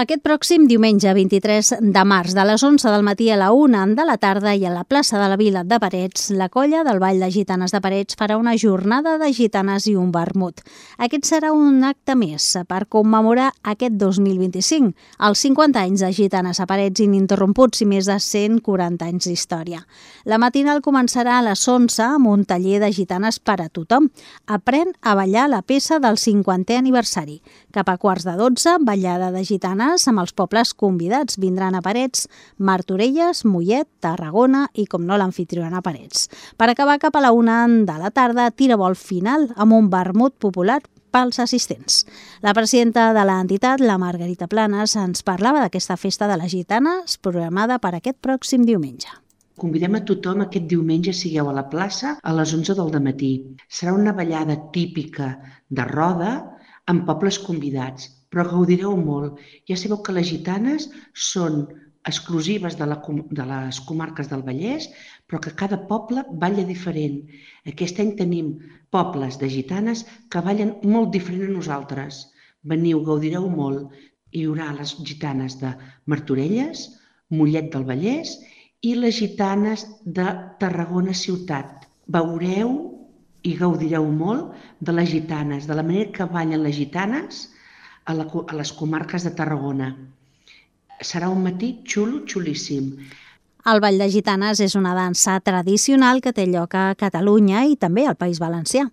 Aquest pròxim diumenge 23 de març, de les 11 del matí a la 1 de la tarda i a la plaça de la Vila de Parets, la colla del Ball de Gitanes de Parets farà una jornada de gitanes i un vermut. Aquest serà un acte més per commemorar aquest 2025, els 50 anys de Gitanes a Parets ininterromputs i més de 140 anys d'història. La matinal començarà a les 11 amb un taller de gitanes per a tothom. Aprèn a ballar la peça del 50è aniversari. Cap a quarts de 12, ballada de gitanes amb els pobles convidats. Vindran a Parets, Martorelles, Mollet, Tarragona i, com no, l'amfitriona Parets. Per acabar, cap a la 1 de la tarda, tirabol final amb un vermut popular pels assistents. La presidenta de l'entitat, la Margarita Planes, ens parlava d'aquesta festa de les gitanes programada per aquest pròxim diumenge. Convidem a tothom aquest diumenge, sigueu a la plaça a les 11 del matí. Serà una ballada típica de roda amb pobles convidats, però gaudireu molt. Ja sabeu que les gitanes són exclusives de les comarques del Vallès, però que cada poble balla diferent. Aquest any tenim pobles de gitanes que ballen molt diferent a nosaltres. Veniu, gaudireu molt. Hi haurà les gitanes de Martorelles, Mollet del Vallès i les gitanes de Tarragona ciutat. Veureu i gaudireu molt de les gitanes, de la manera que ballen les gitanes a les comarques de Tarragona. Serà un matí xulo, xulíssim. El Ball de Gitanes és una dansa tradicional que té lloc a Catalunya i també al País Valencià.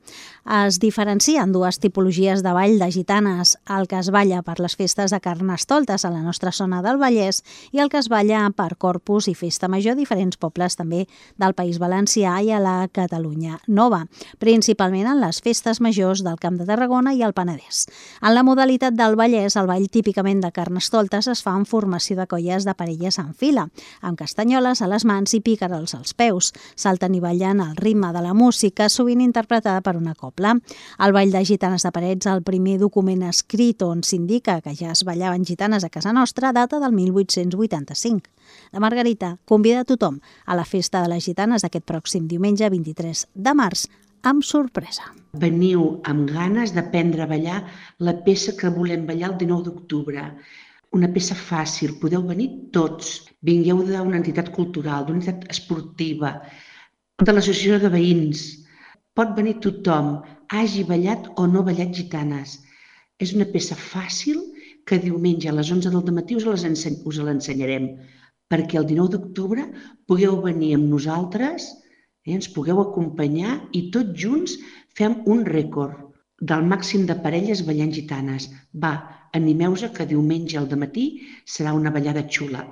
Es diferencien dues tipologies de ball de gitanes, el que es balla per les festes de Carnestoltes a la nostra zona del Vallès i el que es balla per Corpus i Festa Major a diferents pobles també del País Valencià i a la Catalunya Nova, principalment en les festes majors del Camp de Tarragona i el Penedès. En la modalitat del Vallès, el ball típicament de Carnestoltes es fa en formació de colles de parelles en fila, amb castanyoles a les mans i pícarols als peus. Salten i ballen al ritme de la música, sovint interpretada per una cobla. El Ball de Gitanes de Parets, el primer document escrit on s'indica que ja es ballaven gitanes a casa nostra, data del 1885. La Margarita convida a tothom a la festa de les gitanes d'aquest pròxim diumenge 23 de març, amb sorpresa. Veniu amb ganes d'aprendre a ballar la peça que volem ballar el 19 d'octubre. Una peça fàcil, podeu venir tots. Vingueu d'una entitat cultural, d'una entitat esportiva, de l'associació de veïns. Pot venir tothom, hagi ballat o no ballat gitanes. És una peça fàcil que diumenge a les 11 del matí us l'ensenyarem, perquè el 19 d'octubre pugueu venir amb nosaltres, ens pugueu acompanyar i tots junts fem un rècord del màxim de parelles ballant gitanes. Va, animeu-vos que diumenge al matí serà una ballada xula.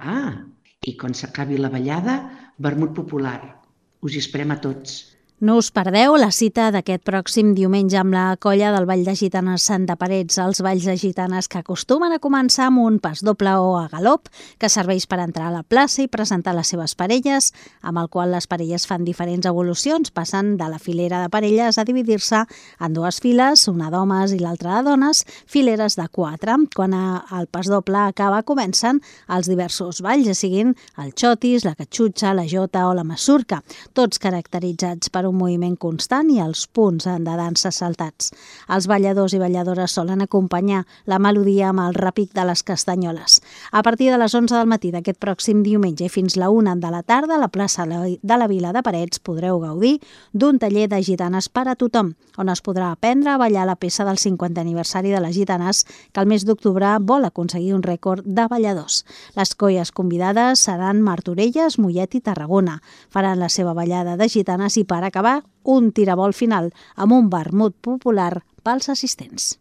I quan s'acabi la ballada, vermut popular. Us hi esperem a tots. No us perdeu la cita d'aquest pròxim diumenge amb la colla del Ball de Gitanes de Parets, els balls de gitanes que acostumen a començar amb un pas doble o a galop, que serveix per entrar a la plaça i presentar les seves parelles, amb el qual les parelles fan diferents evolucions, passant de la filera de parelles a dividir-se en dues files, una d'homes i l'altra de dones, fileres de 4. Quan el pas doble acaba, comencen els diversos balls, ja siguin el xotis, la catxutxa, la jota o la masurca, tots caracteritzats per un moviment constant i els punts de dansa saltats. Els balladors i balladores solen acompanyar la melodia amb el repic de les castanyoles. A partir de les 11 del matí d'aquest pròxim diumenge i fins la 1 de la tarda, a la plaça de la Vila de Parets podreu gaudir d'un taller de gitanes per a tothom, on es podrà aprendre a ballar la peça del 50è aniversari de les gitanes, que el mes d'octubre vol aconseguir un rècord de balladors. Les colles convidades seran Martorelles, Mollet i Tarragona. Faran la seva ballada de gitanes i per acabar un tirabol final amb un vermut popular pels assistents.